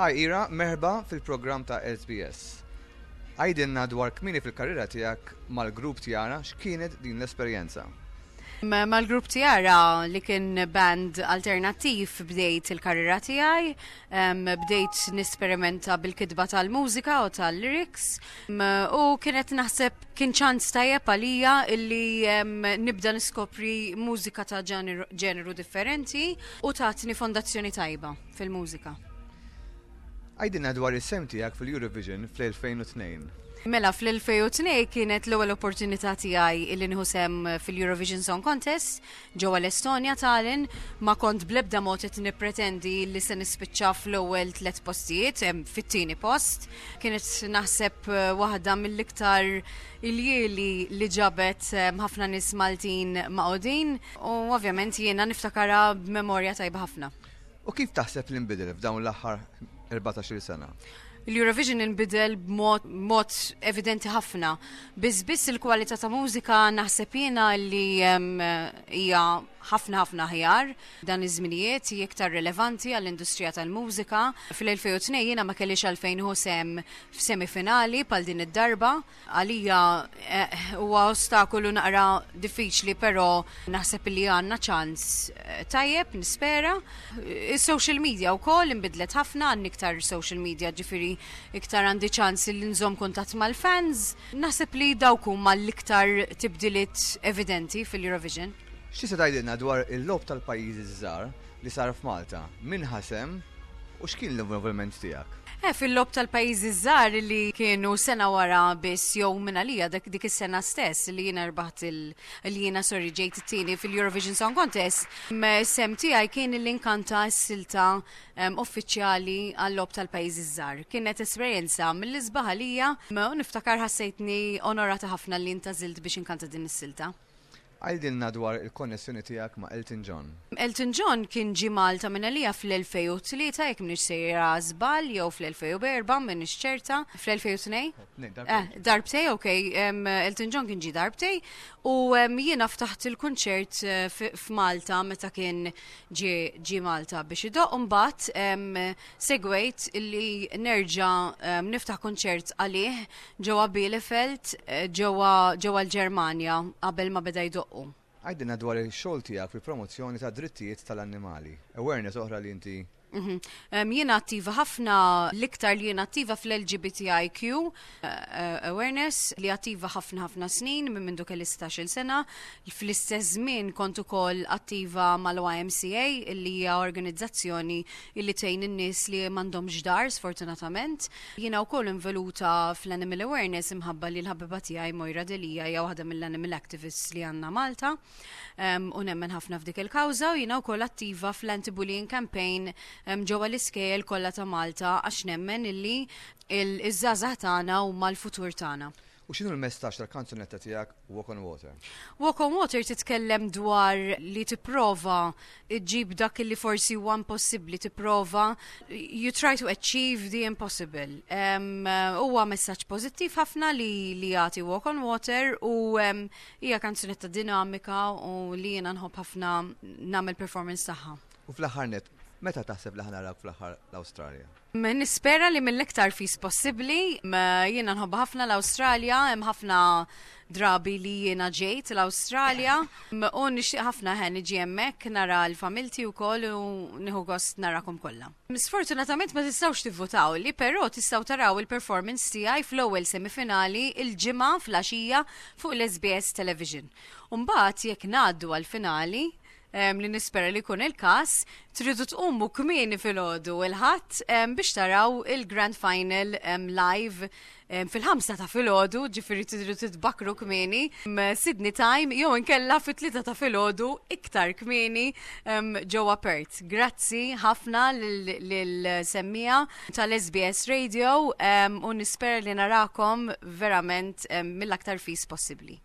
Hi Ira, merħba fil-programm ta' SBS. Għidilna dwar kmieni fil-karriera tiegħek mal-grupp Tiara, x'kienet din l-esperjenza? Mal-grupp Tiara li kien band alternattiv bdejt il-karriera tiegħi, bdejt nisperimenta bil-kitba tal-mużika u tal-lyrics u kienet naħseb kien ċans tajjeb għalija illi nibda niskopri mużika ta' ġeneru differenti u tatni fondazzjoni tajba fil-mużika. Għidilna dwar is-sehem tiegħek fil-Eurovision fl-2002. Mela, fl-2002 kienet l-ewwel opportunità tiegħi illi nieħu sehem fil-Eurovision Song Contest ġewwa l-Estonja Tallinn. Ma kont bl-ebda mod qed nippretendi li se nispiċċa fl-ewwel tliet postijiet, fit-tieni post. Kienet naħseb waħda mill-iktar iljieli li ġabet ħafna nies Maltin maqgħudin u ovvjament jiena niftakarha b'memorja tajba ħafna. U kif taħseb li nbidel f'dawn l-aħħar 14-il sena? Il-Eurovision inbidel b'mod mod evidenti ħafna. Biss biss il-kwalità ta' mużika naħseb jiena li hija ħafna ħafna aħjar dan iż-żminijiet, hija iktar rilevanti għall-industrija tal-mużika. Fil-2002 jiena ma kellix għalfejn nieħu sehem f'semifinali bħal din id-darba. Għalija eh, huwa ostakolu naqra diffiċli, però naħseb li għandna ċans eh, tajjeb, nispera. Is-social media wkoll inbidlet ħafna, għandni iktar social media, ġifieri iktar għandi ċans li nżomm kuntatt mal-fans. Naħseb li dawk huma l-iktar tibdiliet evidenti fil-Eurovision. X'tista' tgħidilna dwar il-logħob tal-pajjiżi ż-żgħar li sar f'Malta? Min ħa sehem u x'kien l-involviment tiegħek? Eh, fil-logħob tal-pajjiżi żgħar li kienu sena wara biss jew minn għalija dak dik is-sena stess li jiena rbaħt il li jiena sorry ġejt it-tieni fil-Eurovision Song Contest, sehem tiegħi kien li nkanta s-silta uffiċjali għal-logħob tal-pajjiżi żgħar. Kienet esperjenza mill-isbaħ għalija u niftakar ħassejtni onorata ħafna li ntgħażilt biex inkanta din is-silta. Għidilna dwar il-konnessjoni tiegħek ma' Elton John. Elton John kien ġie Malta minn għalija fl-2003, jekk m'iniex sejra żball, jew fl-2004, m'iniex ċerta. Fl-2002? Eh, darbtej, ok. Elton John kien ġie darbtej u jiena ftaħt il-kunċert eh, f'Malta meta kien ġie Malta biex idoqq u mbagħad segwejt li nerġa' niftaħ kunċert għalih ġewwa Bielefeld, ġewwa ġewwa l-Ġermanja qabel ma beda jdoqqu. Għidilna dwar ix-xogħol tiegħek fil-promozzjoni tad-drittijiet tal-annimali. Awareness oħra li inti. Jiena attiva ħafna, l-iktar li jiena attiva fl-LGBTIQ awareness, li attiva ħafna ħafna snin minn mindu kelli 16-il sena. Fl-istess żmien kont ukoll attiva mal-YMCA, li hija organizzazzjoni li tgħin in-nies li m'għandhomx dar sfortunatament. Jiena wkoll involuta fl-Animal Awareness imħabba li l-ħabiba tiegħi Moira Delia hija waħda mill-animal activists li għandna Malta u nemmen ħafna f'dik il-kawża u jiena wkoll attiva fl-anti-bullying campaign ġewwa l-iskejjel kollha ta' Malta għax nemmen illi iż-żgħażagħ tagħna huma l-futur tagħna. U x'inhu l-messaġġ tal-kanzunetta tiegħek Walk on Water? Walk on Water titkellem dwar li tipprova ġġib dak li forsi huwa impossibbli, tipprova you try to achieve the impossible. Huwa messaġġ pożittiv ħafna li li jagħti Walk on Water u hija kanzunetta dinamika u li jiena nħobb ħafna nagħmel performance tagħha. U fl-aħħar nett, meta taħseb li ħa narawk fl-aħħar l-Awstralja? Nispera li mill-iktar fis possibbli. Jiena nħobb ħafna l-Awstralja, hemm ħafna drabi li jiena ġejt l-Awstralja u nixtieq ħafna ħen niġi hemmhekk nara l-familti wkoll u nieħu gost narakom kollha. Sfortunatament ma tistgħux tivvutaw li, però tistgħu taraw il-performance tiegħi fl-ewwel semifinali il-Ġimgħa fl-għaxija fuq l-SBS Television. U mbagħad jekk ngħaddu għall-finali, li nispera li jkun il-każ, tridu tqumu kmieni filgħodu il-Ħadd biex taraw il-Grand Final live fil-5 ta' filgħodu, ġifieri tridu titbakru kmieni Sydney time jew inkella fit-3 ta' filgħodu iktar kmieni ġewwa Perth. Grazzi ħafna lil-semmiegħa tal-SBS Radio u nispera li narakom verament mill-aktar fis possibbli.